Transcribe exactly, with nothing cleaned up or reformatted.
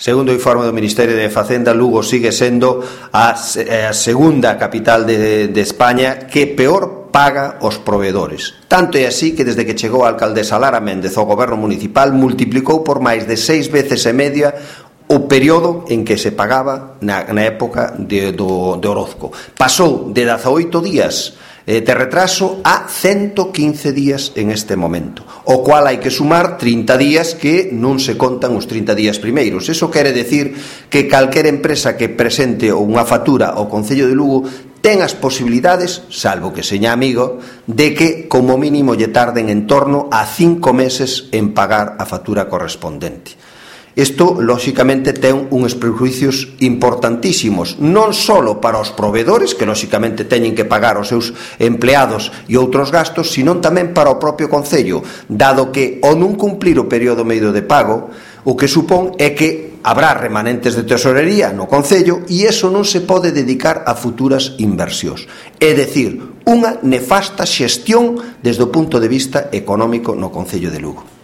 Segundo o informe do Ministerio de Facenda, Lugo sigue sendo a, a segunda capital de, de España que peor paga os proveedores. Tanto é así que desde que chegou a alcaldesa Lara Méndez ao goberno municipal multiplicou por máis de seis veces e media o período en que se pagaba na, na época de, do, de Orozco. Pasou de dezaoito días eh, de retraso a ciento quince días en este momento, o cual hai que sumar trinta días que non se contan os trinta días primeiros. Eso quere decir que calquera empresa que presente unha factura ao Concello de Lugo ten as posibilidades, salvo que seña amigo, de que como mínimo lle tarden en torno a cinco meses en pagar a factura correspondente. Isto, lóxicamente, ten uns prejuicios importantísimos, non só para os proveedores, que lóxicamente teñen que pagar os seus empleados e outros gastos, sino tamén para o propio Concello, dado que, ao non cumplir o período medio de pago, o que supón é que habrá remanentes de tesorería no Concello e iso non se pode dedicar a futuras inversións. É dicir, unha nefasta xestión desde o punto de vista económico no Concello de Lugo.